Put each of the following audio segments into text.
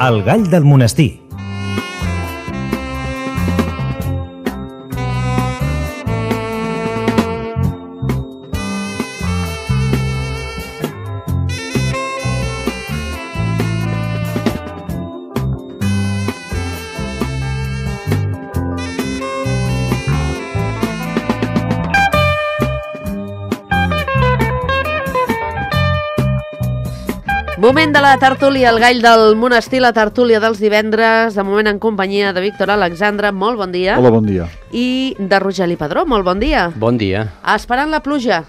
El gall del monestir. Moment de la tertúlia, el gall del monestir, la tertúlia dels divendres, de moment en companyia de Víctor Alexandre, molt bon dia. Hola, bon dia. I de Rogeli Padró, molt bon dia. Bon dia. Esperant la pluja.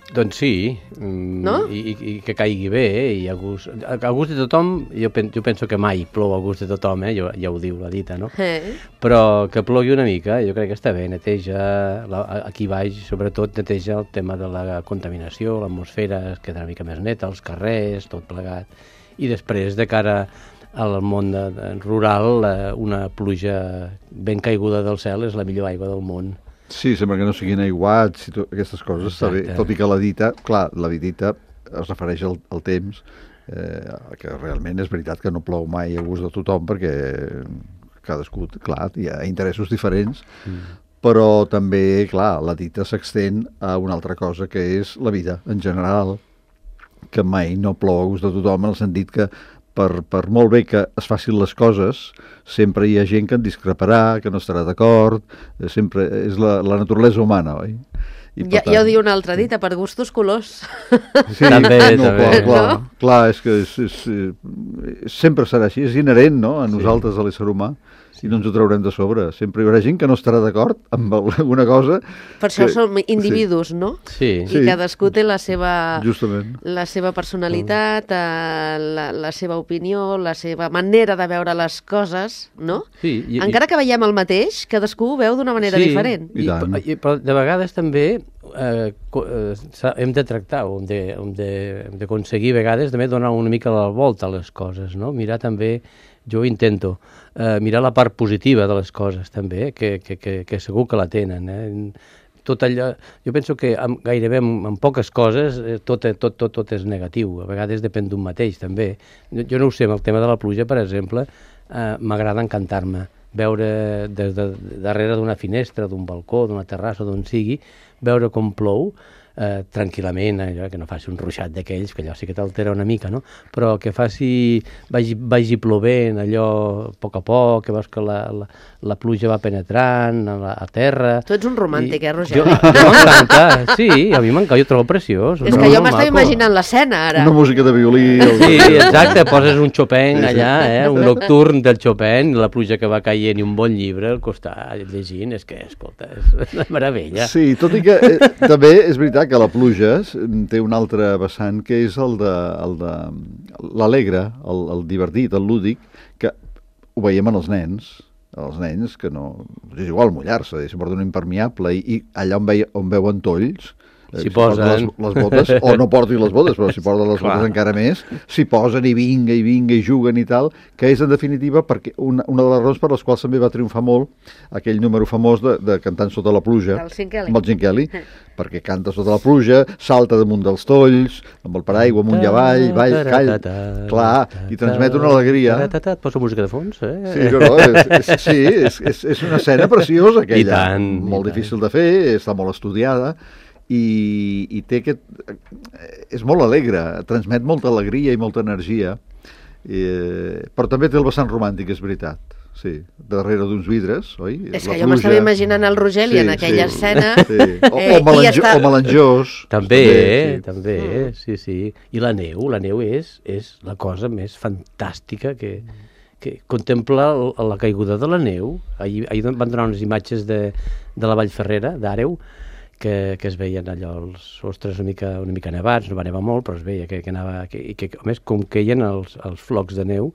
Doncs sí, no? I que caigui bé, i a gust de tothom, jo penso que mai plou a gust de tothom, ja ho diu la dita, no? Però que plogui una mica, jo crec que està bé, neteja, aquí baix, sobretot neteja el tema de la contaminació, l'atmosfera es queda una mica més neta, els carrers, tot plegat, i després, de cara al món rural, una pluja ben caiguda del cel és la millor aigua del món. Sí, sembla que no siguin aiguats i aquestes coses, està bé. Tot i que la dita es refereix al temps, que realment és veritat que no plou mai a gust de tothom, perquè cadascú, clar, hi ha interessos diferents, però també, clar, la dita s'extén a una altra cosa, que és la vida en general, que mai no plou a gust de tothom, en el sentit que per molt bé que es facin les coses, sempre hi ha gent que en discreparà, que no estarà d'acord, sempre és la naturalesa humana, oi? Ja ho diu una altra dita, per gustos colors. Sí, també. Clar, és que sempre serà així, és inherent, no?, a nosaltres, a l'ésser humà, i no ens ho traurem de sobre. Sempre hi haurà gent que no estarà d'acord amb alguna cosa. Per això som individus, no? Sí. I cadascú té la seva personalitat, la seva opinió, la seva manera de veure les coses, no? Sí. Encara que veiem el mateix, cadascú ho veu d'una manera diferent. Però de vegades també hem de tractar, hem d'aconseguir a vegades també donar una mica la volta a les coses, no? Mirar també, jo intento, mirar la part positiva de les coses també, que segur que la tenen. Tot allò, jo penso que gairebé en poques coses tot és negatiu, a vegades depèn d'un mateix també. Jo no ho sé, amb el tema de la pluja, per exemple, m'agrada encantar-me, veure des de darrere d'una finestra, d'un balcó, d'una terrassa, d'on sigui, veure com plou, tranquil·lament, allò, que no faci un ruixat d'aquells, que allò sí que t'altera una mica, no? Però que vagi plovent allò a poc, que veus que la pluja va penetrant a terra. Tu ets un romàntic, Roger? Jo m'encanta, sí, a mi m'encanta, jo ho trobo preciós. És que jo m'estava imaginant l'escena, ara. Una música de violí. Sí, exacte, poses un Chopin allà, un nocturn del Chopin, la pluja que va caient i un bon llibre al costat, llegint, és que, escolta, és una meravella. Sí, tot i que també és veritat que la pluja té un altre vessant, que és el de l'alegre, el divertit, el lúdic, que ho veiem en els nens que no... És igual mullar-se, si porten un impermeable i allà on veuen tolls, si posen les botes, o no portin les botes, però si porten les botes encara més, s'hi posen i vinga, i juguen i tal, que és en definitiva perquè una de les raons per les quals també va triomfar molt aquell número famós de Cantant sota la pluja, amb el Gene Kelly, perquè canta sota la pluja, salta damunt dels tolls, amb el paraigua amunt i avall, calla, clar, i transmet una alegria. Posa música de fons, Sí, és una escena preciosa aquella, molt difícil de fer, està molt estudiada, i té aquest... és molt alegre, transmet molta alegria i molta energia, però també té el vessant romàntic, és veritat. Sí, darrere d'uns vidres, oi? És que jo m'estava imaginant el Rogeli en aquella escena. O melanjós. També, sí. I la neu és la cosa més fantàstica que contempla la caiguda de la neu. Ahir van donar unes imatges de la Vall Ferrera, d'Àreu, que es veien allò els sostres una mica nevats, no va nevar molt, però es veia que anava, i que a més com queien els flocs de neu,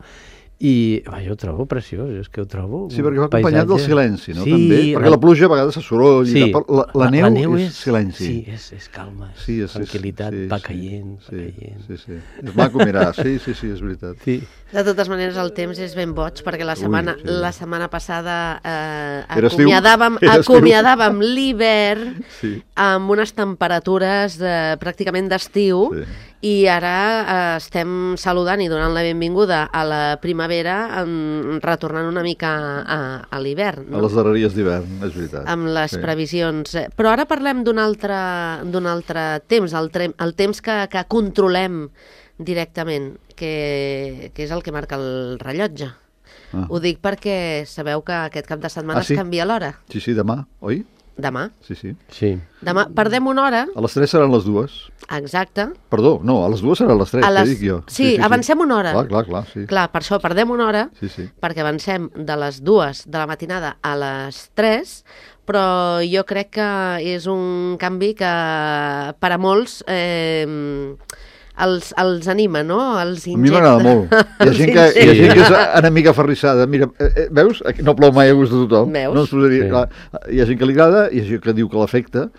i jo ho trobo preciós, és que ho trobo... Sí, perquè va acompanyat del silenci, no? Sí, també, perquè la pluja a vegades és soroll, però la neu és silenci. Sí, és calma, és tranquil·litat, va caient. Sí, és maco mirar, sí, és veritat. De totes maneres, el temps és ben boig, perquè la setmana passada acomiadàvem l'hivern amb unes temperatures pràcticament d'estiu, I ara estem saludant i donant la benvinguda a la primavera, retornant una mica a l'hivern. A les darreries d'hivern, és veritat. Amb les previsions. Però ara parlem d'un altre temps, el temps que controlem directament, que és el que marca el rellotge. Ho dic perquè sabeu que aquest cap de setmana es canvia l'hora. Sí, demà, oi? Demà. Sí. Demà perdem una hora. A les 3 seran les 2. Exacte. Perdó, no, a les 2 seran les 3, que dic jo. Sí, avancem una hora. Clar, sí. Clar, per això perdem una hora, perquè avancem de les 2 de la matinada a les 3, però jo crec que és un canvi que per a molts els anima, no? Els injecta. A mi m'agrada molt. Hi ha gent que és enemiga aferrissada. Mira, veus? No plou mai a gust de tothom. Veus? No ens posaria... Clar, hi ha gent que li agrada, hi ha gent que diu que l'afecta,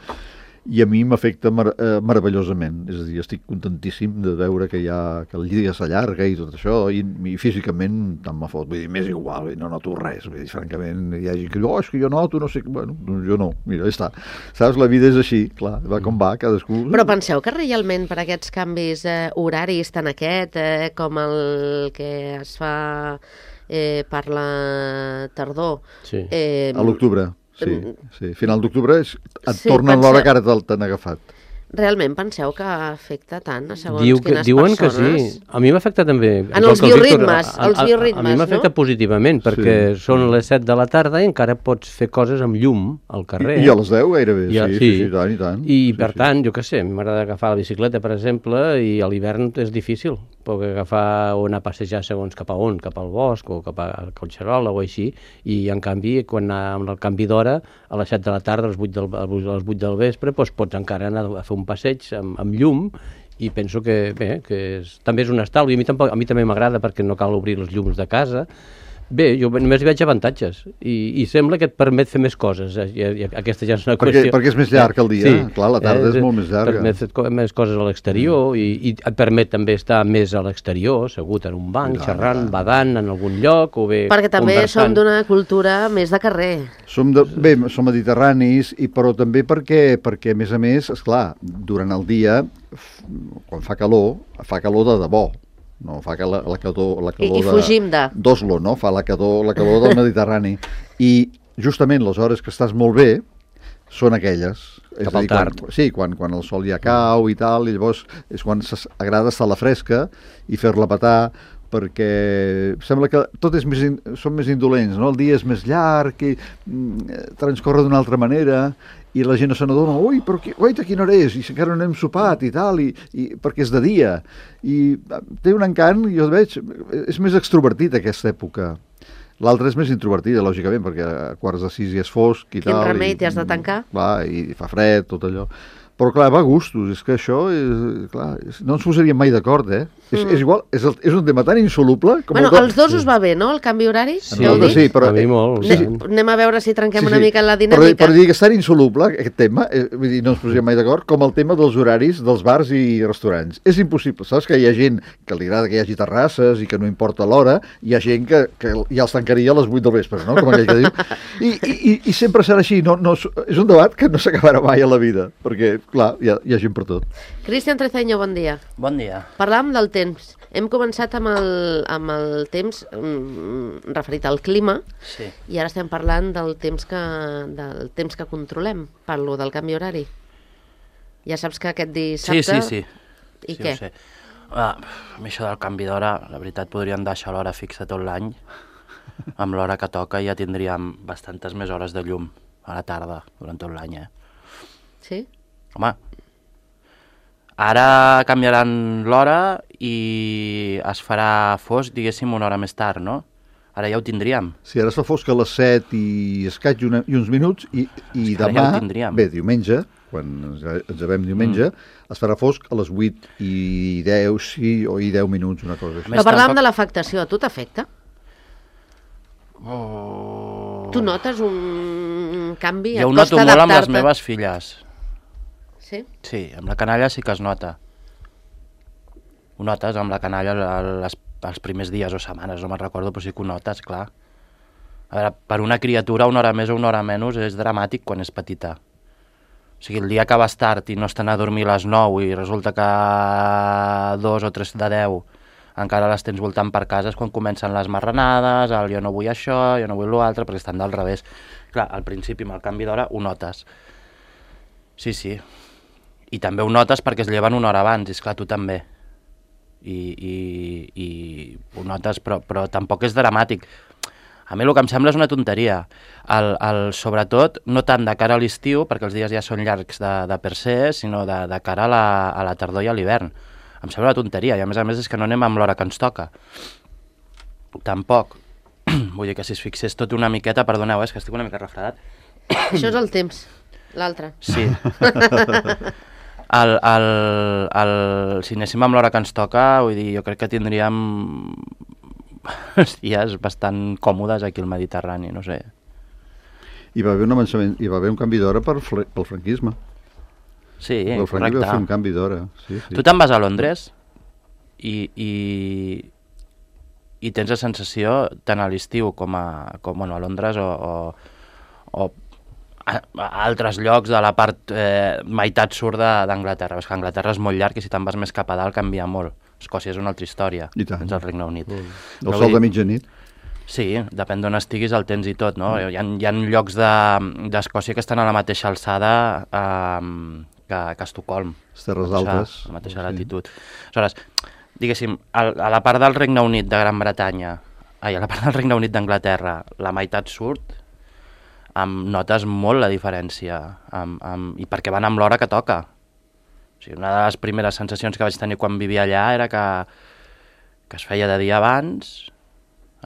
i a mi m'afecta meravellosament. És a dir, estic contentíssim de veure que el dia s'allarga i tot això, i físicament tant me fot. Vull dir, m'és igual, no noto res. Vull dir, francament, hi ha gent que diu, és que jo noto, no sé... Bueno, jo no, mira, ja està. Saps, la vida és així, clar, va com va, cadascú... Però penseu que realment per aquests canvis horaris, tant aquest com el que es fa per la tardor... A l'octubre. Sí. Final d'octubre et tornen l'hora que ara t'han agafat. Realment penseu que afecta tant a segons quines diuen persones? Diuen que sí. A mi m'afecta també. En els bioritmes, a mi m'afecta positivament, perquè són les 7 de la tarda i encara pots fer coses amb llum al carrer. I a les 10 gairebé, sí, i tant. I per tant, jo què sé, m'agrada agafar la bicicleta, per exemple, i a l'hivern és difícil. Puc agafar o anar a passejar segons cap a on, cap al bosc o cap a Collserola o així, i en canvi, quan amb el canvi d'hora, a les 7 de la tarda, a les 8 del vespre, doncs pots encara anar a fer un passeig amb llum, i penso que també és un estalvi. A mi també m'agrada perquè no cal obrir els llums de casa. Bé, jo només hi veig avantatges i sembla que et permet fer més coses. Aquesta ja és una qüestió. Perquè és més llarg el dia, clar, la tarda és molt més llarga. Permet fer més coses a l'exterior i et permet també estar més a l'exterior, assegut en un banc, xerrant, badant en algun lloc o bé perquè també som d'una cultura més de carrer. Som mediterranis, però també perquè a més, esclar, durant el dia, quan fa calor de debò. No, fa que la calor fugim d'Oslo, no? Fa la calor del Mediterrani. I justament les hores que estàs molt bé són aquelles. Cap al tard. Quan el sol ja cau i tal, i llavors és quan agrada estar a la fresca i fer-la petar, perquè sembla que tot són més indolents, no? El dia és més llarg i transcorre d'una altra manera i la gent no se n'adona, però quina hora és? I encara no hem sopat i tal, i perquè és de dia. I té un encant, jo veig, és més extrovertit aquesta època. L'altra és més introvertida, lògicament, perquè a 5:45 ja és fosc i tal. Quin remei, t'has de tancar? Clar, i fa fred, tot allò. Però clar, va a gustos, és que això no ens posaríem mai d'acord, És igual, és un tema tan insoluble com als dos us va bé, no?, el canvi horari? Sí, però... A mi molt. Anem a veure si trenquem una mica la dinàmica. Però dir que és tan insoluble, aquest tema, vull dir, no ens posaríem mai d'acord, com el tema dels horaris dels bars i restaurants. És impossible, saps que hi ha gent que li agrada que hi hagi terrasses i que no importa l'hora, hi ha gent que ja els tancaria a les 8 del vespre, no?, com aquell que diu. I sempre serà així, és un debat que no s'acabarà mai a la vida, perquè clar, hi ha gent per tot. Cristian Treceño, bon dia. Bon dia. Parlàvem del temps. Hem començat amb el temps referit al clima, i ara estem parlant del temps que controlem. Parlo del canvi horari. Ja saps que aquest dissabte... Sí. I què? Ho sé. Amb això del canvi d'hora, la veritat, podríem deixar l'hora fixa tot l'any. Amb l'hora que toca ja tindríem bastantes més hores de llum a la tarda durant tot l'any, Sí? Home, ara canviaran l'hora i es farà fosc, diguéssim, una hora més tard, no? Ara ja ho tindríem. Sí, ara es fa fosc a les 7 i escaig i uns minuts, i demà, diumenge, quan ens llevem diumenge, es farà fosc a les 8 i 10, sí, o i 10 minuts, una cosa així. Però parlàvem de l'afectació, a tu t'afecta? Tu notes un canvi? Jo ho noto molt amb les meves filles. Sí? Sí, amb la canalla sí que es nota. Ho notes amb la canalla els primers dies o setmanes, no me'n recordo, però sí que ho notes, clar. A veure, per una criatura una hora més o una hora menys és dramàtic quan és petita. O O sigui, el dia que vas tard i no estan a dormir a les 9 i resulta que a 2 o 3 de 10 encara les tens voltant per casa, és quan comencen les marranades, el jo no vull això, jo no vull l'altre, perquè estan del revés. Clar, al principi amb el canvi d'hora ho notes. Sí, sí. I també ho notes perquè es lleven una hora abans, i esclar, tu també. I ho notes, però tampoc és dramàtic. A mi el que em sembla és una tonteria. Sobretot, no tant de cara a l'estiu, perquè els dies ja són llargs de per se, sinó de cara a la tardor i a l'hivern. Em sembla una tonteria, i a més és que no anem amb l'hora que ens toca. Tampoc. Vull dir que si es fixés tot una miqueta, perdoneu, és que estic una mica refredat. Això és el temps, l'altre. Sí. Si anéssim amb l'hora que ens toca, vull dir, jo crec que tindríem dies bastant còmodes aquí al Mediterrani, no sé. Hi va haver un avançament, hi va haver un canvi d'hora pel franquisme. Sí, el franquisme va fer un canvi d'hora. Sí, sí. Tu te'n vas a Londres i tens la sensació, tant a l'estiu com a Londres o a altres llocs de la part meitat sud d'Anglaterra. És que Anglaterra és molt llarg i si te'n vas més cap a dalt canvia molt. Escòcia és una altra història. I tant. Tens el Regne Unit. El sol de mitjanit. Sí, depèn d'on estiguis el temps i tot, no? Hi ha llocs d'Escòcia que estan a la mateixa alçada que Estocolm. Les terres altes. A la mateixa latitud. Aleshores, diguéssim, a la part del Regne Unit de Gran Bretanya, a la part del Regne Unit d'Anglaterra, la meitat sud, notes molt la diferència, i perquè van amb l'hora que toca. O sigui, una de les primeres sensacions que vaig tenir quan vivia allà era que es feia de dia abans,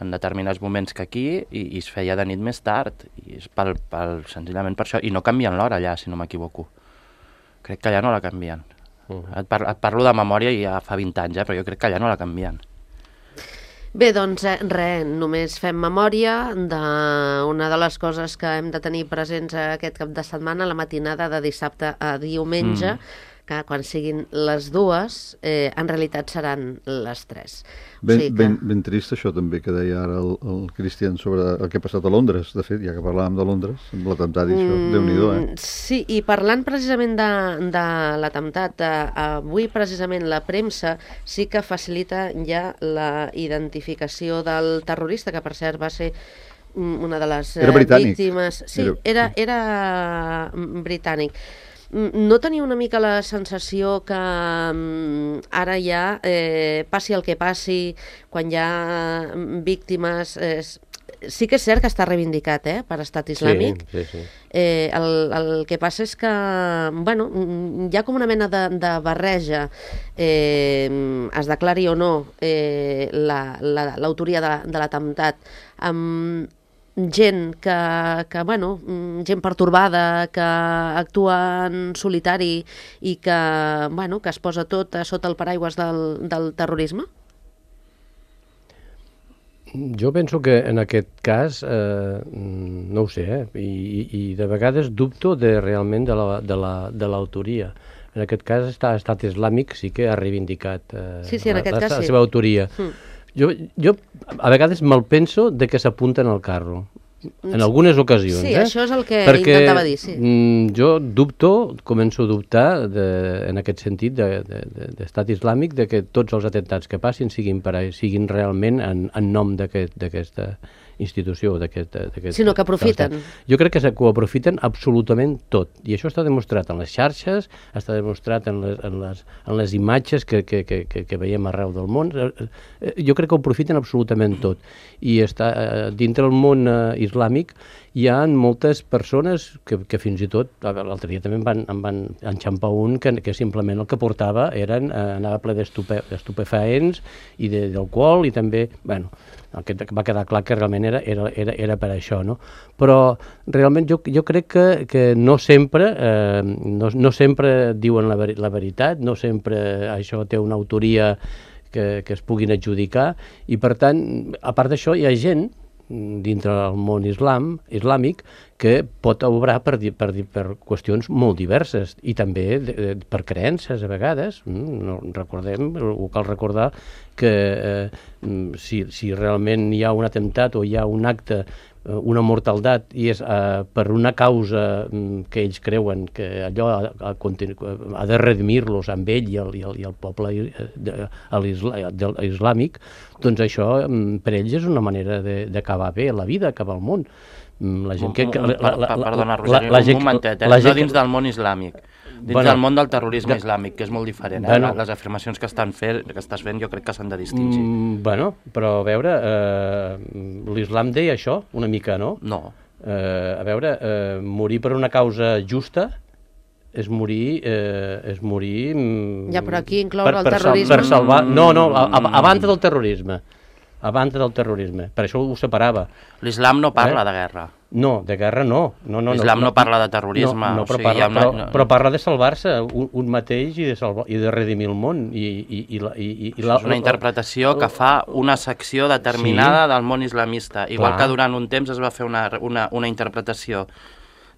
en determinats moments que aquí, i es feia de nit més tard, i és senzillament per això, i no canvien l'hora allà, si no m'equivoco. Crec que allà no la canvien. Et parlo de memòria i ja fa 20 anys, però jo crec que allà no la canvien. Bé, doncs només fem memòria d'una de les coses que hem de tenir presents aquest cap de setmana, la matinada de dissabte a diumenge, que quan siguin les 2, en realitat seran les 3. Ben trist això també que deia ara el Cristian sobre el que ha passat a Londres, de fet, ja que parlàvem de Londres, amb l'atemptat i això, Déu-n'hi-do, Sí, i parlant precisament de l'atemptat, avui precisament la premsa sí que facilita ja la identificació del terrorista, que per cert va ser una de les víctimes... Sí, era britànic. No tenia una mica la sensació que ara ja, passi el que passi, quan hi ha víctimes... Sí que és cert que està reivindicat per Estat Islàmic. Sí. El que passa és que hi ha com una mena de barreja. Es declari o no l'autoria de l'atemptat amb gent gent pertorbada, que actua en solitari i que es posa tot sota el paraigües del terrorisme? Jo penso que en aquest cas, no ho sé, i de vegades dubto realment de l'autoria. En aquest cas, Estat Islàmic sí que ha reivindicat la seva autoria. Jo a vegades me'l penso de que s'apunten al carro, en algunes ocasions. Sí, això és el que intentava dir, sí. Jo començo a dubtar, en aquest sentit, d'Estat Islàmic, de que tots els atentats que passin siguin realment en nom d'aquesta institució, sinó que aprofiten. Jo crec que ho aprofiten absolutament tot, i això està demostrat en les xarxes, està demostrat en les imatges que veiem arreu del món. Jo crec que ho aprofiten absolutament tot, i dintre del món islàmic hi ha moltes persones que fins i tot, l'altre dia també em van enxampar un que simplement el que portava anava ple d'estupefaents i d'alcohol, i també, va quedar clar que realment era per això, no? Però realment jo crec que no sempre diuen la veritat, no sempre això té una autoria que es puguin adjudicar, i per tant, a part d'això, hi ha gent dintre del món islàmic que pot obrar per qüestions molt diverses, i també per creences a vegades. Cal recordar que si realment hi ha un atemptat o hi ha un acte una mortaldat i és per una causa que ells creuen que allò ha de redimir-los amb ell i el poble islàmic, doncs això per ells és una manera d'acabar bé la vida, acabar el món. La gent Perdona, Roger, un momentet, no dins del món islàmic, dins del món del terrorisme islàmic, que és molt diferent. Les afirmacions que estàs fent jo crec que s'han de distingir. Bueno, però a veure, l'islam deia això, una mica, no? No. A veure, morir per una causa justa és morir... Ja, però aquí incloure el terrorisme... Per salvar... No, a banda del terrorisme. A banda del terrorisme. Per això ho separava. L'islam no parla de guerra. No, de guerra no. L'islam no parla de terrorisme. Però parla de salvar-se un mateix i de redimir el món. És una interpretació que fa una secció determinada del món islamista. Igual que durant un temps es va fer una interpretació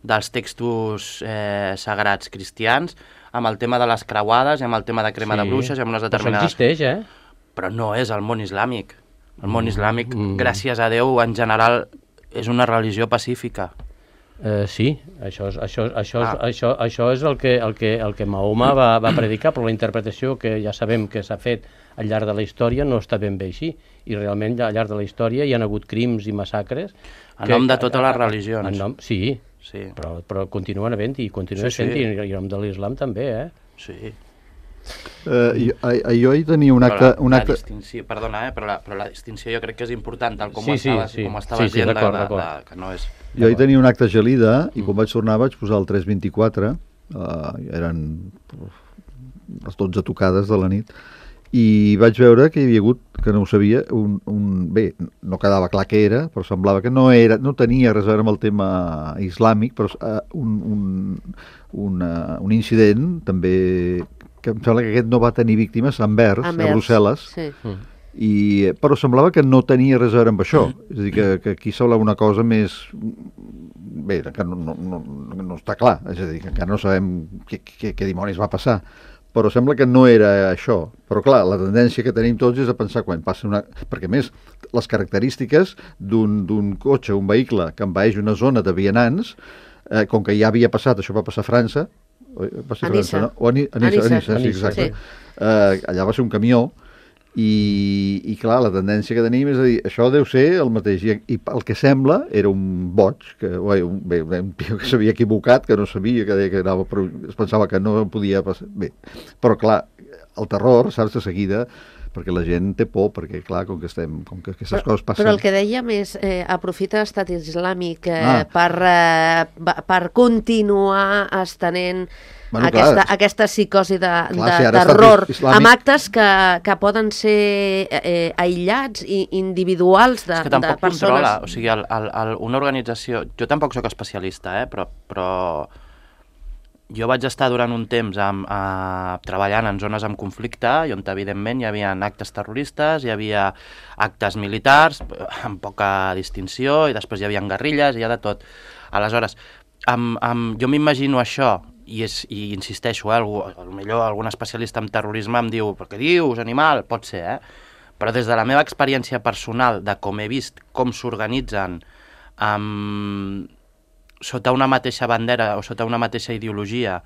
dels textos sagrats cristians amb el tema de les creuades i amb el tema de crema de bruixes i amb unes determinades... Això existeix, Però no és el món islàmic. El món islàmic, gràcies a Déu, en general, és una religió pacífica. Sí, això és el que Mahoma va predicar, però la interpretació que ja sabem que s'ha fet al llarg de la història no està ben bé així. I realment al llarg de la història hi ha hagut crims i massacres... En nom de totes les religions. Sí, però continuen havent i continuen sent, i en nom de l'islam també, Sí. Jo hi tenia un acte... Perdona, però la distinció jo crec que és important, tal com ho estaves dient, que no és... Jo hi tenia un acte a Gelida i quan vaig tornar vaig posar el 324, eren les 12 tocades de la nit, i vaig veure que hi havia hagut, que no ho sabia, bé, no quedava clar què era, però semblava que no tenia res a veure amb el tema islàmic, però un incident també... que em sembla que aquest no va tenir víctimes, a Anvers, a Brussel·les, però semblava que no tenia res a veure amb això. És a dir, que aquí semblava una cosa més... Bé, que no està clar, és a dir, que encara no sabem què dimonis va passar, però sembla que no era això. Però clar, la tendència que tenim tots és a pensar quan passa una... Perquè més, les característiques d'un cotxe, un vehicle que envaeix una zona de vianants, com que ja havia passat, això va passar a França, a Niça. A Niça, sí, exacte. Allà va ser un camió i clar, la tendència que tenim és a dir, això deu ser el mateix, i el que sembla era un boig, un tio que s'havia equivocat, que no sabia, que deia que anava, es pensava que no podia passar. Bé, però clar, el terror, saps, de seguida, perquè la gent té por, perquè clar, com que aquestes coses passen... Però el que dèiem és, aprofita l'estat islàmic per continuar estenent aquesta psicosi de terror amb actes que poden ser aïllats i individuals de persones. És que tampoc controla, o sigui, una organització... Jo tampoc sóc especialista, però jo vaig estar durant un temps treballant en zones amb conflicte i on evidentment hi havia actes terroristes, hi havia actes militars amb poca distinció i després hi havia guerrilles i hi ha de tot. Aleshores, jo m'imagino això i insisteixo, potser algun especialista en terrorisme em diu però què dius, animal? Pot ser, però des de la meva experiència personal de com he vist com s'organitzen sota una mateixa bandera o sota una mateixa ideologia,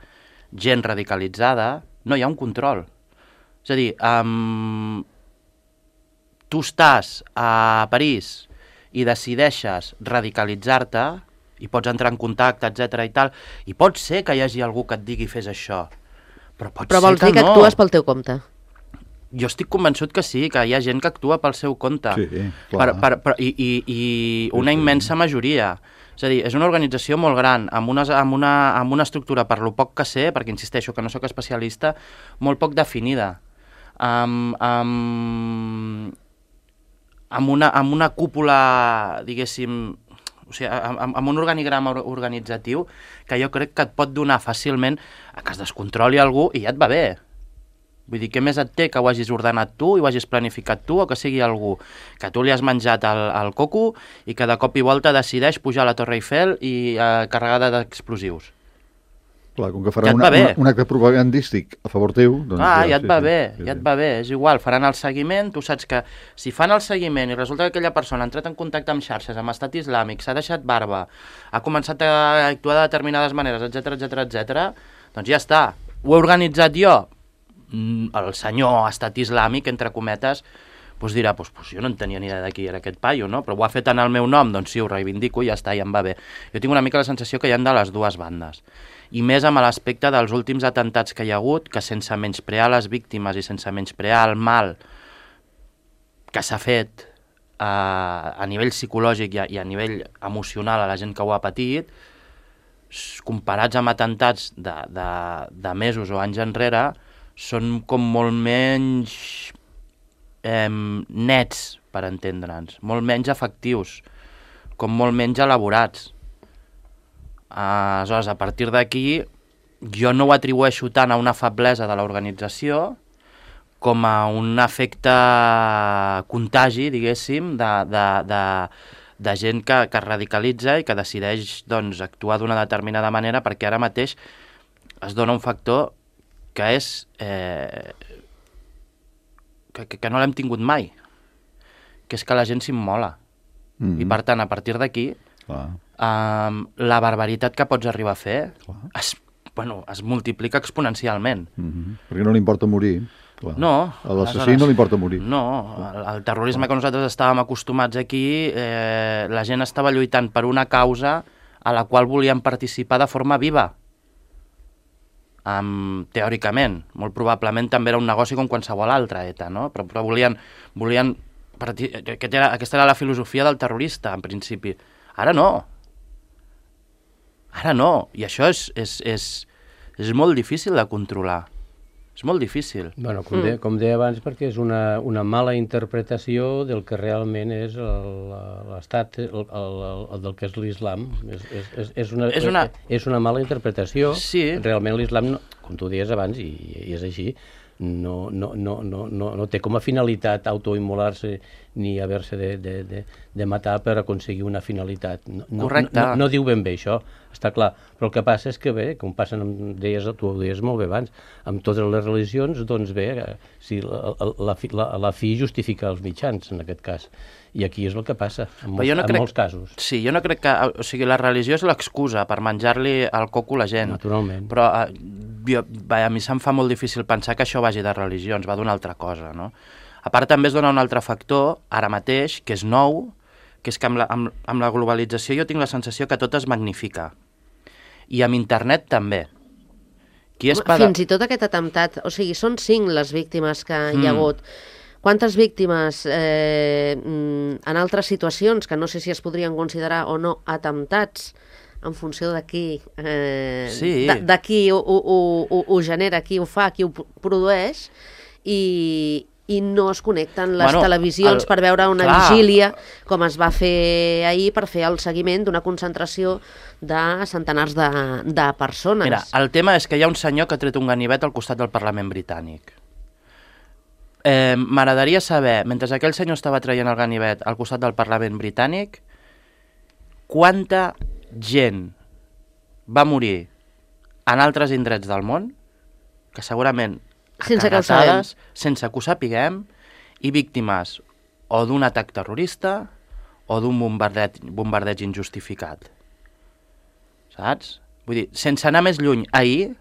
gent radicalitzada, no hi ha un control. És a dir, tu estàs a París i decideixes radicalitzar-te i pots entrar en contacte, etc i tal, i pot ser que hi hagi algú que et digui fes això, però vols dir que actues pel teu compte? Jo estic convençut que sí, que hi ha gent que actua pel seu compte. Sí, clar. I una immensa majoria. És a dir, és una organització molt gran, amb una estructura, per lo poc que sé, perquè insisteixo que no sóc especialista, molt poc definida. Amb una cúpula, diguéssim, o sigui, amb un organigrama organitzatiu que jo crec que et pot donar fàcilment a que es descontroli algú i ja et va bé. Vull dir, què més et té que ho hagis ordenat tu i ho hagis planificat tu o que sigui algú que tu li has menjat el coco i que de cop i volta decideix pujar a la Torre Eiffel i carregada d'explosius? Clar, com que faran un acte propagandístic a favor teu... Doncs ja et va bé, és igual, faran el seguiment, tu saps que si fan el seguiment i resulta que aquella persona ha entrat en contacte amb xarxes, amb estat islàmic, s'ha deixat barba, ha començat a actuar de determinades maneres, etc, doncs ja està. Ho he organitzat jo? El senyor estat islàmic, entre cometes, doncs dirà, doncs jo no en tenia ni idea de qui era aquest paio, no? Però ho ha fet en el meu nom, doncs sí, ho reivindico i ja està, ja em va bé. Jo tinc una mica la sensació que hi ha de les dues bandes. I més amb l'aspecte dels últims atentats que hi ha hagut, que sense menysprear les víctimes i sense menysprear el mal que s'ha fet a nivell psicològic i a nivell emocional a la gent que ho ha patit, comparats amb atentats de mesos o anys enrere, són com molt menys nets, per entendre'ns, molt menys efectius, com molt menys elaborats. Aleshores, a partir d'aquí, jo no ho atribueixo tant a una feblesa de l'organització com a un efecte contagi, diguéssim, de gent que es radicalitza i que decideix doncs, actuar d'una determinada manera, perquè ara mateix es dona un factor que és que no l'hem tingut mai, que és que la gent s'immola. I per tant, a partir d'aquí, la barbaritat que pots arribar a fer es multiplica exponencialment. Perquè no li importa morir. Clar. No. A l'assassí no li importa morir. No, el terrorisme que nosaltres estàvem acostumats aquí, la gent estava lluitant per una causa a la qual volien participar de forma viva. Teòricament, molt probablement també era un negoci com qualsevol altra ETA, no? Però volien aquesta era la filosofia del terrorista, en principi. Ara no. I això és molt difícil de controlar. És molt difícil. Bueno, com deia abans, perquè és una mala interpretació del que realment és l'estat, del que és l'islam. És una mala interpretació. Sí. Realment l'islam, com tu deies abans, i és així, no té com a finalitat autoimmolar-se ni haver-se de matar per aconseguir una finalitat. Correcte. No diu ben bé això, està clar. Però el que passa és que bé, com passen, tu ho deies molt bé abans, amb totes les religions, doncs bé, si la fi justifica els mitjans, en aquest cas. I aquí és el que passa, en molts casos. Sí, jo no crec que... O sigui, la religió és l'excusa per menjar-li el coco a la gent. Naturalment. Però a mi se'm fa molt difícil pensar que això vagi de religions, va d'una altra cosa, no? A part, també es dona un altre factor, ara mateix, que és nou, que és que amb la globalització jo tinc la sensació que tot es magnifica. I amb internet també. Fins i tot aquest atemptat, o sigui, són 5 les víctimes que hi ha hagut. Quantes víctimes en altres situacions, que no sé si es podrien considerar o no atemptats, en funció de qui, de qui ho genera, qui ho fa, qui ho produeix, i no es connecten les televisions per veure una vigília, com es va fer ahir, per fer el seguiment d'una concentració de centenars de persones. Mira, el tema és que hi ha un senyor que ha tret un ganivet al costat del Parlament britànic. M'agradaria saber, mentre aquell senyor estava traient el ganivet al costat del Parlament britànic, quanta gent va morir en altres indrets del món, que segurament sense que ho sapiguem, i víctimes o d'un atac terrorista o d'un bombardeig injustificat. Saps? Vull dir, sense anar més lluny, ahir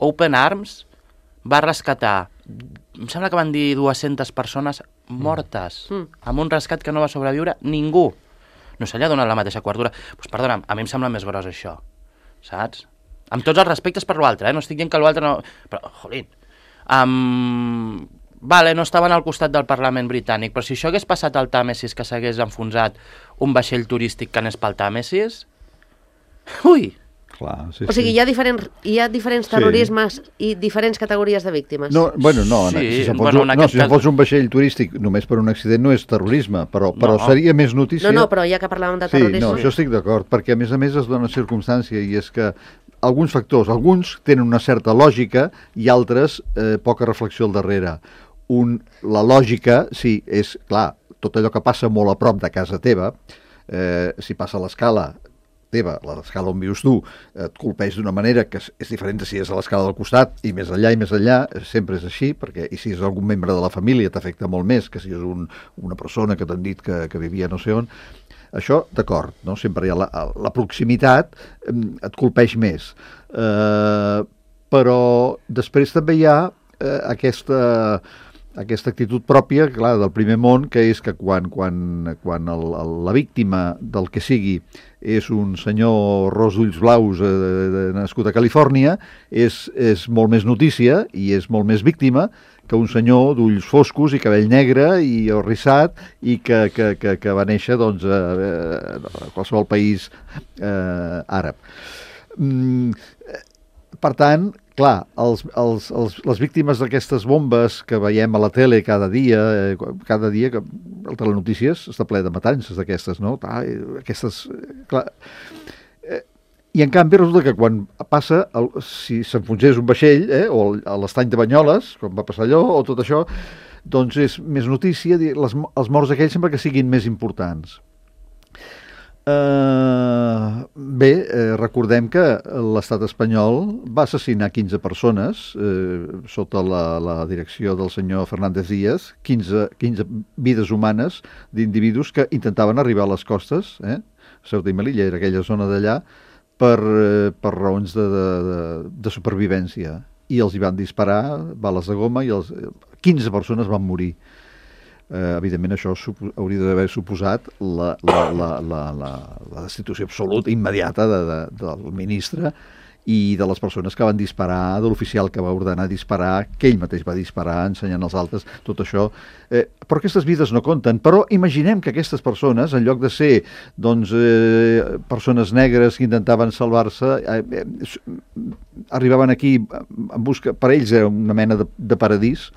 Open Arms va rescatar, em sembla que van dir 200 persones mortes, amb un rescat que no va sobreviure ningú. No se li ha donat la mateixa cobertura. Doncs perdona'm, a mi em sembla més gros això, saps? Amb tots els respectes per l'altre, no estic dient que l'altre no... Però, jolín, vale, no estaven al costat del Parlament britànic, però si això hagués passat al Tàmesis, que s'hagués enfonsat un vaixell turístic que anés pel Tàmesis... Ui! Clar, o sigui, hi ha diferents terrorismes i diferents categories de víctimes. No, si fos un vaixell turístic només per un accident no és terrorisme, però seria més notícia... No, però ja que parlàvem de terrorisme... Sí, no, això estic d'acord, perquè a més es dona circumstància, i és que alguns factors, alguns tenen una certa lògica i altres poca reflexió al darrere. La lògica, sí, és, clar, tot allò que passa molt a prop de casa teva, si passa a l'escala, teva, l'escala on vius tu, et colpeix d'una manera que és diferent de si és a l'escala del costat i més enllà, sempre és així, perquè i si és algun membre de la família t'afecta molt més que si és una persona que t'han dit que vivia no sé on. Això, d'acord, no? Sempre hi ha la proximitat, et colpeix més. Però després també hi ha aquesta actitud pròpia, clar, del primer món, que és que quan la víctima del que sigui és un senyor ros d'ulls blaus nascut a Califòrnia, és molt més notícia i és molt més víctima que un senyor d'ulls foscos i cabell negre i rissat i que va néixer doncs, a qualsevol país àrab. Per tant, clar, les víctimes d'aquestes bombes que veiem a la tele cada dia que el Telenotícies està ple de matances d'aquestes, no? Aquestes, clar, i en canvi resulta que quan passa, si s'enfonsés un vaixell, o a l'estany de Banyoles, com va passar allò, o tot això, doncs és més notícia, els morts aquells sempre que siguin més importants. Recordem que l'estat espanyol va assassinar 15 persones sota la direcció del senyor Fernández Díaz, 15 vides humanes d'individus que intentaven arribar a les costes, Ceuta i Melilla, era aquella zona d'allà, per raons de supervivència. I els hi van disparar bales de goma i 15 persones van morir. Evidentment això hauria d'haver suposat la destitució absoluta, immediata del ministre i de les persones que van disparar, de l'oficial que va ordenar disparar, que ell mateix va disparar ensenyant als altres, tot això. Però aquestes vides no compten. Però imaginem que aquestes persones, en lloc de ser doncs, persones negres que intentaven salvar-se, arribaven aquí en busca, per ells era una mena de paradís,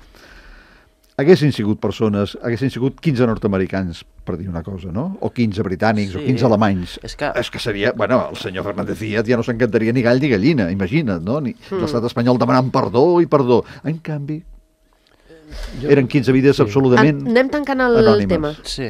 haguessin sigut 15 nord-americans, per dir una cosa, no? O 15 britànics, o 15 alemanys. És que seria... Bueno, el senyor Fernández Díaz ja no s'encantaria ni gall ni gallina, imagina't, no? L'estat espanyol demanant perdó i perdó. En canvi, eren 15 vides absolutament anem tancant el anònimes. tema. Sí.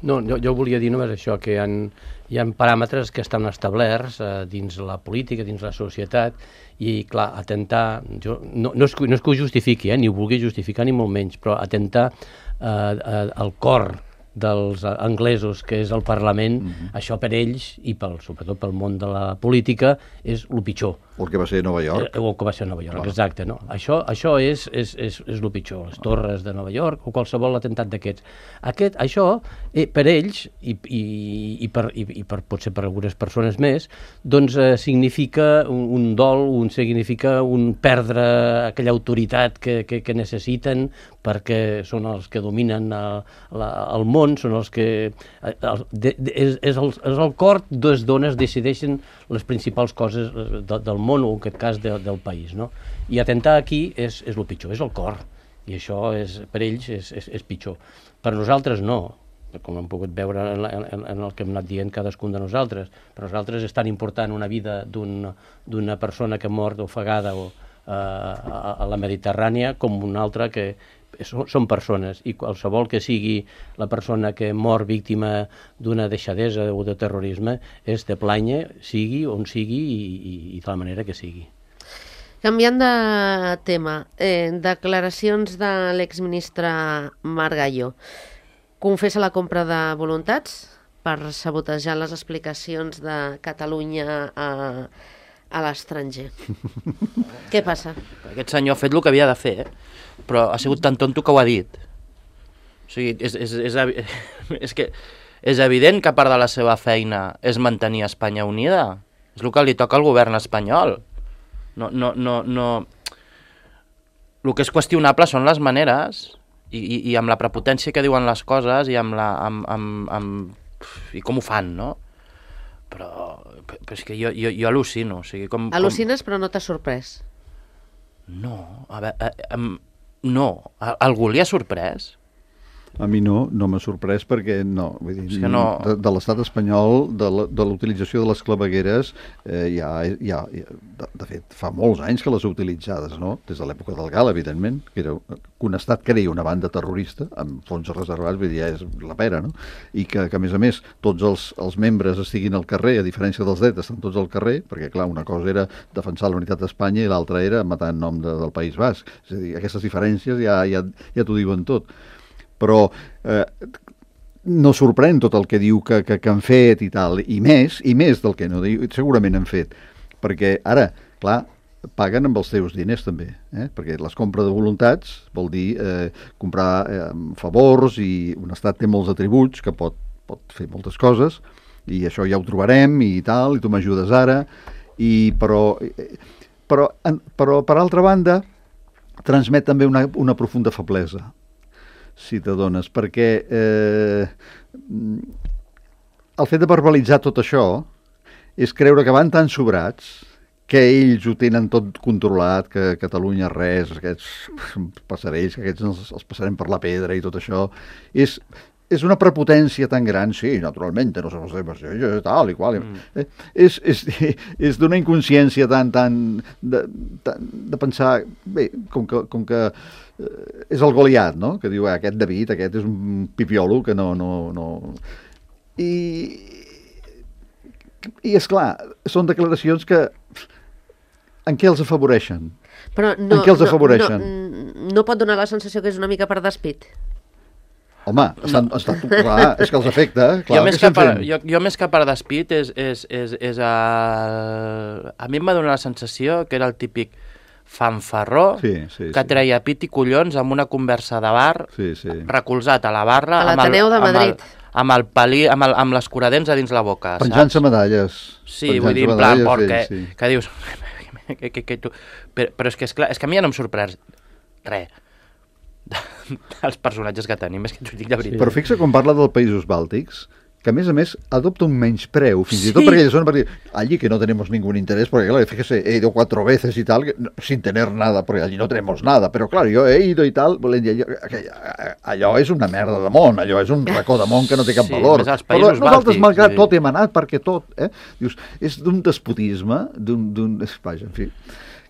No, jo volia dir només això, que hi ha paràmetres que estan establerts dins la política, dins la societat, i clar, atentar, no és que ho justifiqui, ni ho vulgui justificar ni molt menys, però atentar al cor dels anglesos, que és el Parlament, això per ells, i sobretot pel món de la política, és el pitjor. O el que va ser a Nova York. O el que va ser a Nova York, exacte. No? Això és el pitjor, les torres de Nova York o qualsevol atemptat d'aquests. Això, per ells, i potser per algunes persones més, doncs significa un dol, significa un perdre aquella autoritat que necessiten perquè són els que dominen el món, són els que... És el cor d'on es decideixen les principals coses del món, o en aquest cas del país, no? I atentar aquí és el pitjor, és el cor, i això per ells és pitjor. Per nosaltres no, com hem pogut veure en el que hem anat dient cadascun de nosaltres. Per nosaltres és tan important una vida d'una persona que ha mort ofegada a la Mediterrània com una altra que són persones, i qualsevol que sigui la persona que mor víctima d'una deixadesa o de terrorisme és de planya, sigui on sigui i de la manera que sigui. Canviant de tema, declaracions de l'exministre Margallo. Confessa la compra de voluntats per sabotejar les explicacions de Catalunya a l'estranger. Què passa? Aquest senyor ha fet el que havia de fer, però ha sigut tan tonto que ho ha dit. O sigui, és que és evident que part de la seva feina és mantenir Espanya unida. És el que li toca al govern espanyol. No. El que és qüestionable són les maneres i amb la prepotència que diuen les coses i i com ho fan, no? Però és que jo al·lucino. O sigui, Al·lucines, però no t'ha sorprès? No, a veure, no. Algú li ha sorprès? A mi no m'ha sorprès perquè no. Vull dir, que no... de l'estat espanyol, de l'utilització de les clavegueres, de fet, fa molts anys que les ha utilitzades, no? Des de l'època del GAL, evidentment, que un estat crea una banda terrorista amb fons reservats, vull dir, ja és la pera, no? I que a més a més, tots els membres estiguin al carrer, a diferència dels drets, estan tots al carrer, perquè, clar, una cosa era defensar la unitat d'Espanya i l'altra era matar en nom del País Basc. És a dir, aquestes diferències ja t'ho diuen tot. Però no sorprèn tot el que diu que han fet i tal, i més del que no diu, segurament han fet, perquè ara, clar, paguen amb els teus diners també, perquè les compres de voluntats vol dir comprar favors, i un estat té molts atributs que pot fer moltes coses, i això ja ho trobarem i tal, i tu m'ajudes ara, però per altra banda transmet també una profunda feblesa, si t'adones, perquè el fet de verbalitzar tot això és creure que van tan sobrats que ells ho tenen tot controlat, que Catalunya res, aquests passarells, que aquests els passarem per la pedra i tot això, és una prepotència tan gran, sí, naturalment, no somos tal i qual. És d'una inconsciència tan de pensar, bé, com que és el Goliat, no?, que diu, aquest David, aquest és un pipiolo que no... I esclar, són declaracions que en què els afavoreixen? Però en què els afavoreixen? No pot donar la sensació que és una mica per despit? Home, clar, és que els afecta. Clar, jo més que per despit a mi em va donar la sensació que era el típic fanfarró que treia pit i collons amb una conversa de bar, recolzat a la barra, a l'Ateneu de Madrid, amb l'escuradents a dins la boca. Penjant-se medalles. Sí, vull dir, en plan, que dius... Però és que, esclar, és que a mi ja no em sorprès res dels personatges que tenim, és que t'ho dic de veritat. Però fixa quan parla dels països bàltics, que a més adopta un menyspreu, fins i tot perquè ells són per dir, allí que no tenemos ningún interés, porque claro, fíjese, he ido 4 veces y tal, sin tener nada, porque allí no tenemos nada, però claro, yo he ido y tal, allò és una merda de món, allò és un racó de món que no té cap valor. Però nosaltres, malgrat tot, hem anat perquè tot, dius, és d'un despotisme, vaja, en fi...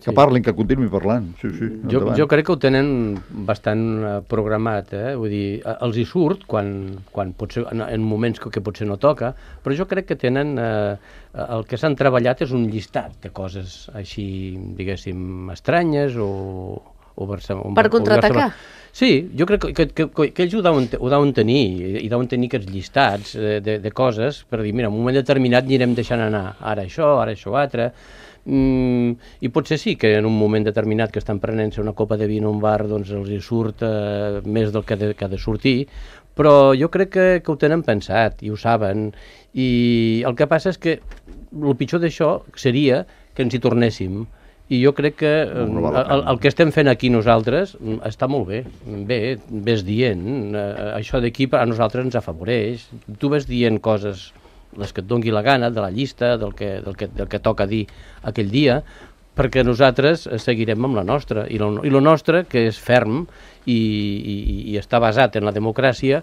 Que parlin, que continuï parlant. Sí, jo crec que ho tenen bastant programat, vull dir, els hi surt quan potser, en moments que potser no toca, però jo crec que tenen, el que s'han treballat és un llistat de coses així, diguéssim, estranyes o per contraatacar. Sí, jo crec que ells ho deuen tenir, i deuen tenir aquests llistats de coses per dir, mira, en un moment determinat anirem deixant anar, ara això altre. I potser sí que en un moment determinat que estan prenent-se una copa de vi en un bar, doncs els hi surt més del que ha de sortir, però jo crec que ho tenen pensat i ho saben, i el que passa és que el pitjor d'això seria que ens hi tornéssim, i jo crec que el que estem fent aquí nosaltres està molt bé. Ves dient, això d'aquí a nosaltres ens afavoreix, tu ves dient coses, les que et doni la gana, de la llista, del que toca dir aquell dia, perquè nosaltres seguirem amb la nostra, i la nostra, que és ferm i està basat en la democràcia,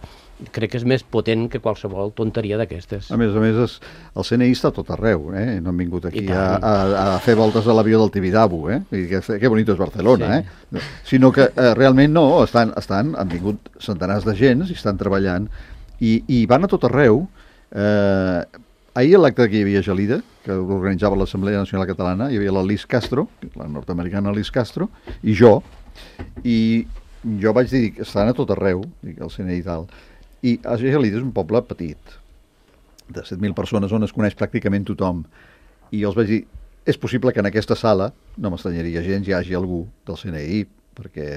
crec que és més potent que qualsevol tonteria d'aquestes. A més, el CNI està tot arreu, no han vingut aquí a fer voltes a l'avió del Tibidabo, que bonito és Barcelona, sinó que realment no, han vingut centenars de gens i estan treballant, i van a tot arreu. Ahir a l'acte que hi havia Gelida, que organitzava l'Assemblea Nacional Catalana, hi havia la Liz Castro, la nord-americana Liz Castro, i jo vaig dir que estan a tot arreu, el CNI i tal, i Gelida és un poble petit, de 7.000 persones on es coneix pràcticament tothom, i jo els vaig dir, és possible que en aquesta sala, no m'estranyaria gens, hi hagi algú del CNI, perquè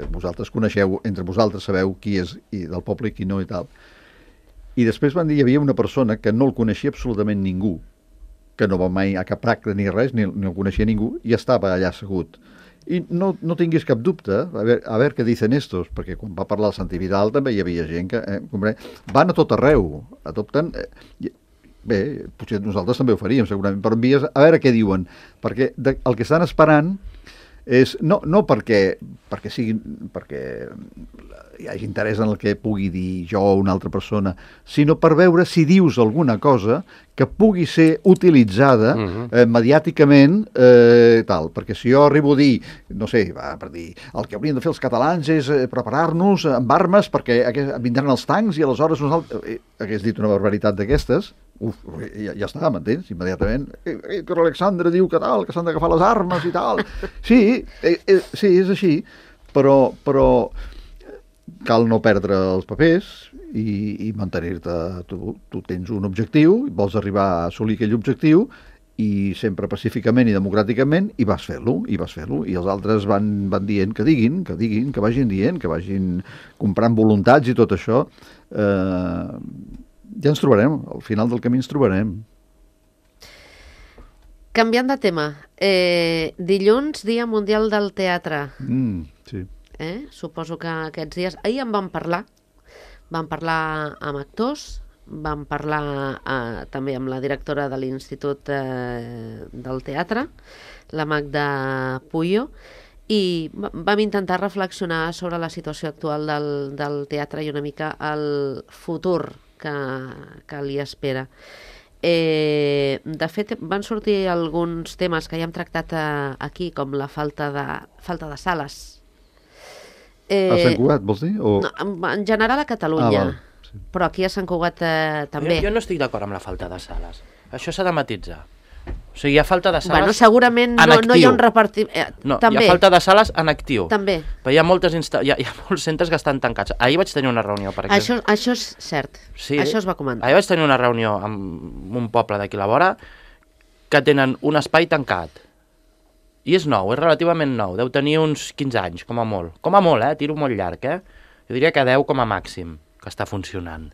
vosaltres coneixeu, entre vosaltres sabeu qui és del poble i qui no i tal. I després van dir, hi havia una persona que no el coneixia absolutament ningú, que no va mai a cap acte ni res, ni el coneixia ningú, i estava allà assegut. I no tinguis cap dubte, a veure què dicen estos, perquè quan va parlar el Santi Vidal també hi havia gent que van a tot arreu, adopten... Bé, potser nosaltres també ho faríem segurament, però envies a veure què diuen, perquè el que estan esperant No perquè hi hagi interès en el que pugui dir jo o una altra persona, sinó per veure si dius alguna cosa que pugui ser utilitzada mediàticament, tal. Perquè si jo arribo a dir, no sé, per dir, el que haurien de fer els catalans és preparar-nos amb armes perquè vindran els tancs i aleshores nosaltres... hagués dit una barbaritat d'aquestes, ja està, m'entens? Immediatament, que l'Alexandre diu que tal, que s'han d'agafar les armes i tal. Sí, és així, però cal no perdre els papers i mantenir-te. Tu tens un objectiu, vols arribar a assolir aquell objectiu i sempre pacíficament i democràticament i vas fer-lo, i els altres van dient que diguin, que vagin dient, que vagin comprant voluntats i tot això. Ja ens trobarem, al final del camí ens trobarem. Canviant de tema, dilluns, Dia Mundial del Teatre. Sí. Suposo que aquests dies... Ahir en vam parlar amb actors, vam parlar també amb la directora de l'Institut del Teatre, la Magda Puyo, i vam intentar reflexionar sobre la situació actual del teatre i una mica el futur que li espera. De fet, van sortir alguns temes que ja hem tractat aquí, com la falta de sales. A Sant Cugat, vols dir? No, en general a Catalunya, sí. Però aquí a Sant Cugat també. Jo no estic d'acord amb la falta de sales. Això s'ha de matitzar. O sigui, hi ha falta de sales segurament no hi ha un repartiment... També. Hi ha falta de sales en actiu. També. Però hi ha molts centres que estan tancats. Ahir vaig tenir una reunió, per exemple. Això és cert. Sí, això es va comentar. Ahir vaig tenir una reunió amb un poble d'aquí a la vora que tenen un espai tancat. I és nou, és relativament nou. Deu tenir uns 15 anys, com a molt. Com a molt, tiro molt llarg, Jo diria que 10 com a màxim, que està funcionant.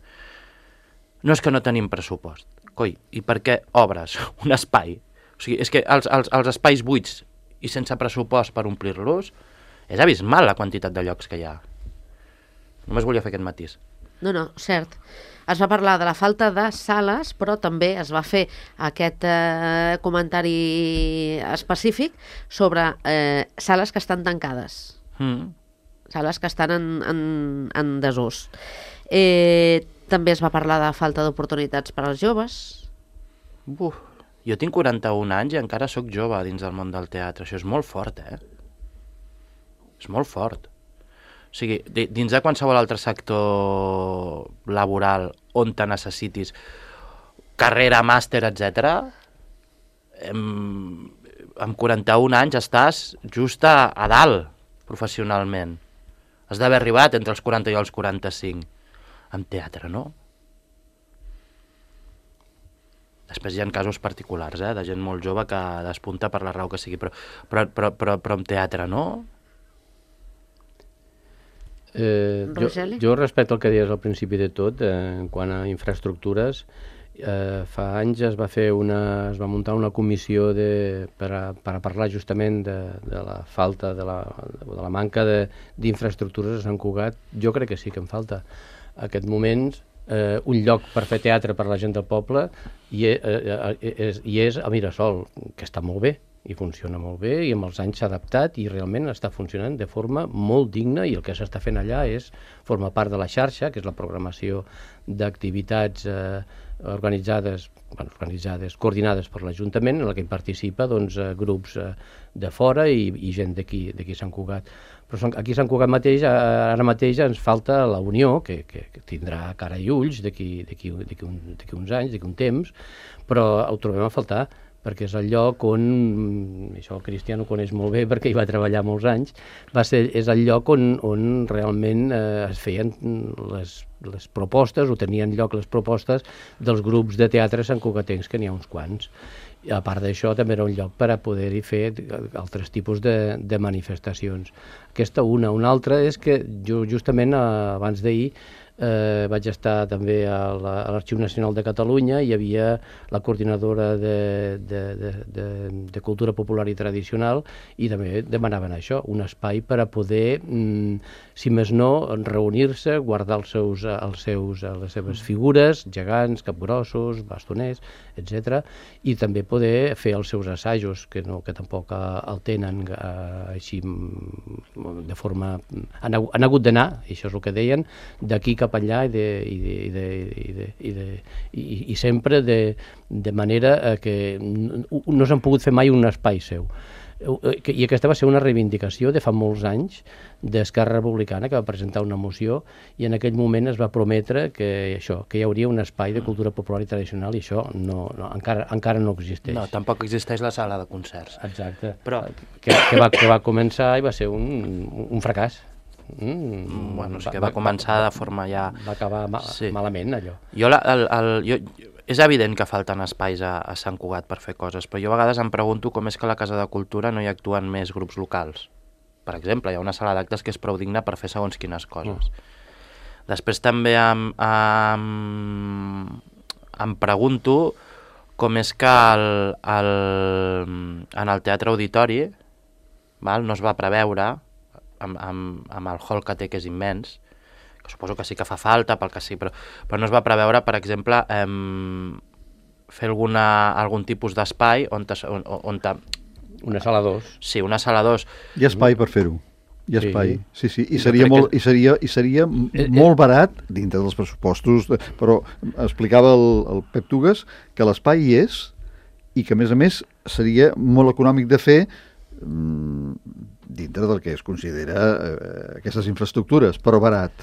No és que no tenim pressupost. Coi, i per què obres un espai? O sigui, és que els espais buits i sense pressupost per omplir-los és abismal la quantitat de llocs que hi ha. Només volia fer aquest matís. No, cert. Es va parlar de la falta de sales, però també es va fer aquest comentari específic sobre sales que estan tancades. Sales que estan en desús. També es va parlar de falta d'oportunitats per als joves. Jo tinc 41 anys i encara sóc jove dins del món del teatre. Això és molt fort, És molt fort. O sigui, dins de qualsevol altre sector laboral on te necessitis carrera, màster, etc., amb 41 anys estàs just a dalt professionalment. Has d'haver arribat entre els 40 i els 45. Amb teatre, no? Després hi ha casos particulars, de gent molt jove que despunta per la raó que sigui, però amb teatre, no? Jo respecte al que deies al principi de tot, en quant a infraestructures, fa anys es va muntar una comissió per a parlar justament de la falta, de la manca d'infraestructures a Sant Cugat. Jo crec que sí que en falta. En aquest moment, un lloc per fer teatre per la gent del poble i és a Mirasol, que està molt bé i funciona molt bé i amb els anys s'ha adaptat i realment està funcionant de forma molt digna, i el que s'està fent allà forma part de la xarxa, que és la programació d'activitats organitzades, coordinades per l'Ajuntament, en la que hi participa grups de fora i gent d'aquí Sant Cugat. Però aquí a Sant Cugat mateix, ara mateix ens falta la Unió, que tindrà cara i ulls d'aquí uns anys, d'aquí un temps, però ho trobem a faltar, perquè és el lloc on, això el Cristian ho coneix molt bé perquè hi va treballar molts anys, és el lloc on realment es feien les propostes, o tenien lloc les propostes dels grups de teatre santcugatencs, que n'hi ha uns quants. I a part d'això també era un lloc per a poder-hi fer altres tipus de manifestacions. Aquesta una altra és que justament abans d'ahir vaig estar també a l'Arxiu Nacional de Catalunya, hi havia la coordinadora de Cultura Popular i Tradicional, i també demanaven això, un espai per a poder, si més no, reunir-se, guardar les seves figures, gegants, capgrossos, bastoners, etc., i també poder fer els seus assajos, que tampoc el tenen així de forma... Han hagut d'anar, i això és el que deien, d'aquí cap enllà i sempre de manera que no s'han pogut fer mai un espai seu. I aquesta va ser una reivindicació de fa molts anys d'Esquerra Republicana, que va presentar una moció, i en aquell moment es va prometre que hi hauria un espai de cultura popular i tradicional, i això encara no existeix. No, tampoc existeix la sala de concerts. Exacte. Però... que va començar i va ser un fracàs. Bueno, és que va començar de forma ja... Va acabar malament, allò. És evident que falten espais a Sant Cugat per fer coses, però jo a vegades em pregunto com és que a la Casa de Cultura no hi actuen més grups locals. Per exemple, hi ha una sala d'actes que és prou digna per fer segons quines coses. Després també em pregunto com és que en el Teatre Auditori no es va preveure, amb el hall que té, que és immens, que suposo que sí que fa falta, pel que sí, però no es va preveure, per exemple, fer algun tipus d'espai on... Una sala 2. Sí, una sala 2. Hi ha espai per fer-ho. Hi ha espai, sí. I seria molt barat, dintre dels pressupostos, però explicava el Pep Tugues que l'espai hi és i que, a més, seria molt econòmic de fer dintre del que es considera aquestes infraestructures, però barat.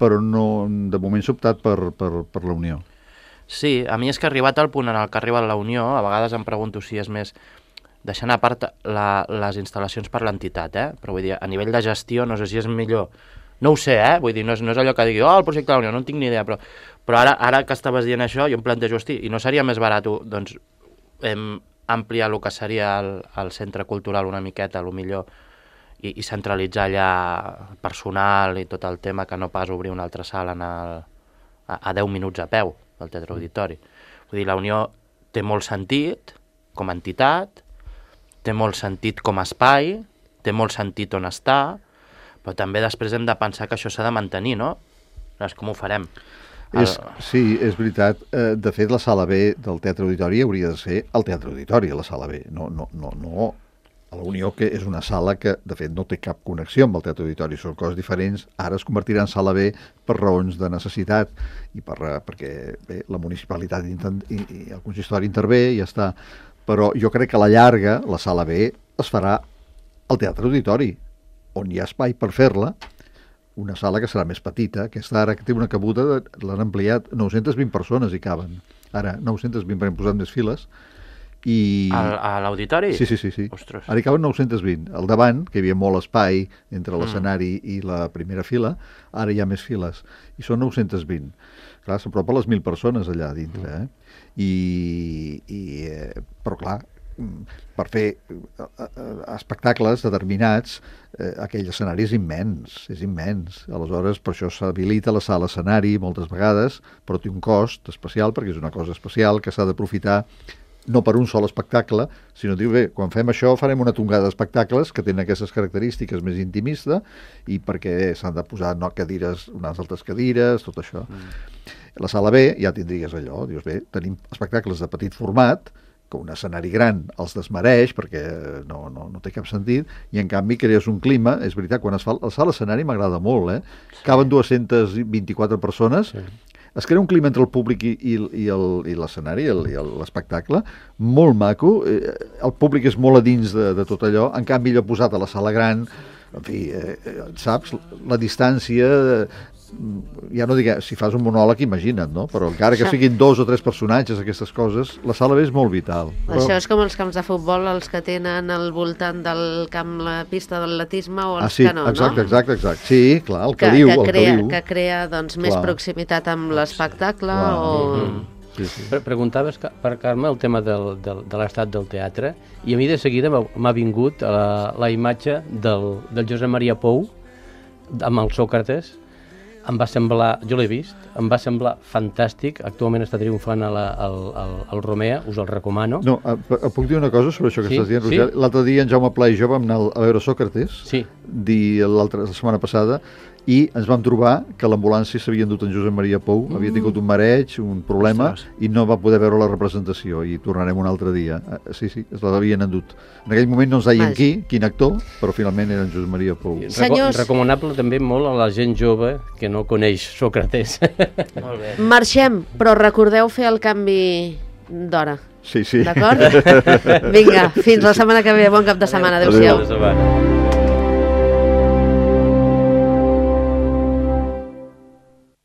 Però no, de moment s'ha optat per la Unió. Sí, a mi és que ha arribat al punt en el que ha arribat la Unió, a vegades em pregunto si és més, deixant a part les instal·lacions per l'entitat, però vull dir, a nivell de gestió no sé si és millor, no ho sé, vull dir, no és allò que digui, el projecte de la Unió, no en tinc ni idea, però ara que estaves dient això, jo em plantejo, hosti, i no seria més barat, doncs, ampliar el que seria el centre cultural una miqueta, millor, i centralitzar allà personal i tot el tema, que no pas obrir una altra sala a 10 minuts a peu del Teatre Auditori. Vull dir, la Unió té molt sentit com a entitat, té molt sentit com a espai, té molt sentit on està, però també després hem de pensar que això s'ha de mantenir, no? Llavors, com ho farem? Sí, és veritat. De fet, la sala B del Teatre Auditori hauria de ser el Teatre Auditori, la sala B. No a la Unió, que és una sala que, de fet, no té cap connexió amb el Teatre Auditori. Són coses diferents. Ara es convertirà en sala B per raons de necessitat i perquè la municipalitat i el consistori intervé i ja està. Però jo crec que a la llarga la sala B es farà al Teatre Auditori, on hi ha espai per fer-la, una sala que serà més petita. Aquesta ara que té una cabuda, l'han ampliat, 920 persones hi caben. Ara, 920, hem posat més files. A l'auditori? Sí. Ostres. Ara hi caben 920. Al davant, que hi havia molt espai entre l'escenari i la primera fila, ara hi ha més files. I són 920. Clar, s'apropa les 1.000 persones allà dintre. Però clar, per fer espectacles determinats, aquell escenari és immens. Aleshores, per això s'habilita la sala escenari moltes vegades, però té un cost especial, perquè és una cosa especial que s'ha d'aprofitar no per un sol espectacle, sinó dir, quan fem això farem una tongada d'espectacles que tenen aquestes característiques més intimista i perquè s'han de posar cadires, unes altres cadires, tot això. La sala B ja tindries allò, dius, tenim espectacles de petit format, que un escenari gran els desmereix perquè no té cap sentit, i en canvi crees un clima. És veritat, quan es fa la sala escenari m'agrada molt, caben 224 persones, es crea un clima entre el públic i l'escenari, i l'espectacle, molt maco, el públic és molt a dins de tot allò, en canvi allò posat a la sala gran, en fi, saps, la distància... Ja no dic, si fas un monòleg, imagina't, no? Però encara que siguin 2 o 3 personatges, aquestes coses, la sala B és molt vital. Això és com els camps de futbol, els que tenen al voltant del camp la pista d'atletisme o els que no, exacte. Sí, clar, el caliu. Que crea doncs, més proximitat amb l'espectacle o... Sí. Preguntaves, per Carme, el tema de l'estat del teatre, i a mi de seguida m'ha vingut la imatge del Josep Maria Pou amb el Sòcrates, em va semblar, jo l'he vist, em va semblar fantàstic, actualment està triomfant al Romea, us el recomano. No, puc dir una cosa sobre això que estàs dient, Roger? Sí? L'altre dia en Jaume Pla i jo vam anar a veure Sòcrates, la setmana passada, i ens vam trobar que l'ambulància s'havia endut en Josep Maria Pou, havia tingut un mareig, un problema, i no va poder veure la representació, i tornarem un altre dia. Sí, es l'havien endut. En aquell moment no ens deien quin actor, però finalment era en Josep Maria Pou. Recomanable també molt a la gent jove que no coneix Sòcrates. Molt bé. Marxem, però recordeu fer el canvi d'hora. Sí. D'acord? Vinga, fins la setmana que ve. Bon cap de setmana. Adéu-siau.